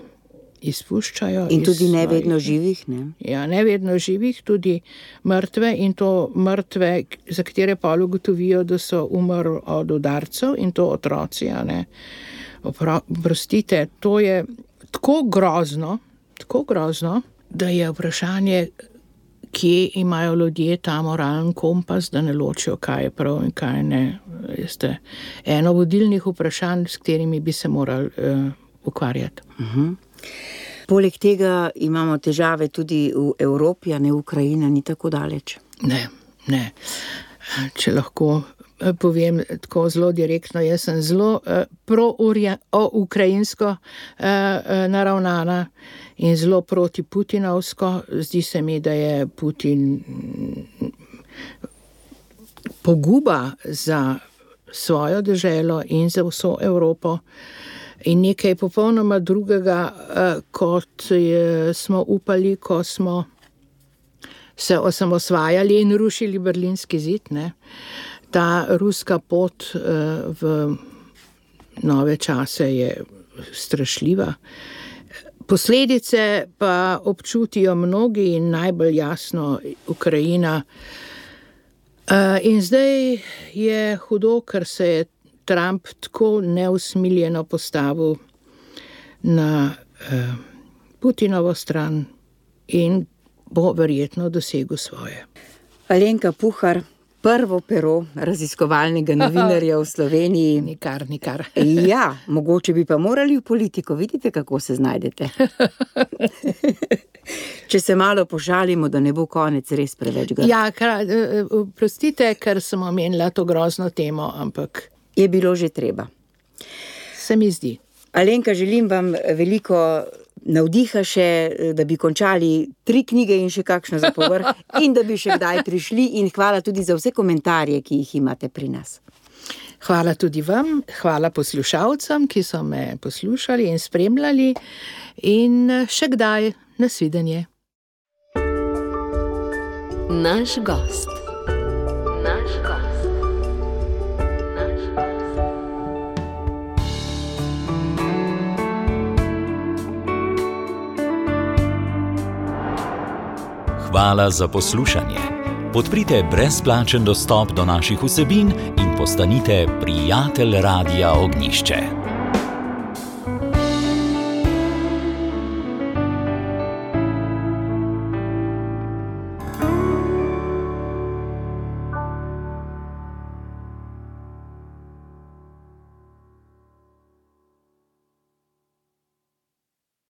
izpuščajo. In tudi iz ne svojih, vedno živih, ne? Ja, ne vedno živih, tudi mrtve in to mrtve, za katere pa ugotovijo, da so umrli od udarcev in to otroci, a ne. Oprostite, to je tako grozno, tako grozno, da je vprašanje, kje imajo ljudje ta moralen kompas, da ne ločijo, kaj je prav in kaj ne. Veste, eno vodilnih vprašanj, s katerimi bi se morali uh, ukvarjati. Uh-huh. Poleg tega imamo težave tudi v Evropi, a ne Ukrajina ni tako daleč. Ne, ne. Če lahko povem tako zelo direktno, jaz sem zelo uh, pro-ukrajinsko uh, uh, naravnana in zelo proti putinovsko. Zdi se mi, da je Putin poguba za svojo deželo in za vso Evropo. In nekaj popolnoma drugega, uh, kot je, smo upali, ko smo se osamosvajali in rušili Berlinski zid, ne. Ta ruska pot uh, v nove čase je strašljiva. Posledice pa občutijo mnogi in najbolj jasno Ukrajina. Uh, in zdaj je hudo, ker se je Trump tako neusmiljeno postavil na uh, Putinovo stran in bo verjetno dosegel svoje. Alenka Puhar, prvo pero raziskovalnega novinarja v Sloveniji. Nikar, nikar. Ja, mogoče bi pa morali v politiko, vidite, kako se znajdete. Če se malo pošalimo, da ne bo konec res preveč grd. Ja, prostite, ker sem omenila to grozno temo, ampak... Je bilo že treba. Se mi zdi. Alenka, želim vam veliko navdiha še, da bi končali tri knjige in še kakšno za povrh in da bi še kdaj prišli in hvala tudi za vse komentarje, ki jih imate pri nas. Hvala tudi vam, hvala poslušalcem, ki so me poslušali in spremljali in še kdaj nasvidenje. Naš gost. Naš gost. Hvala za poslušanje. Podprite brezplačen dostop do naših vsebin in postanite prijatelj Radia Ognišče.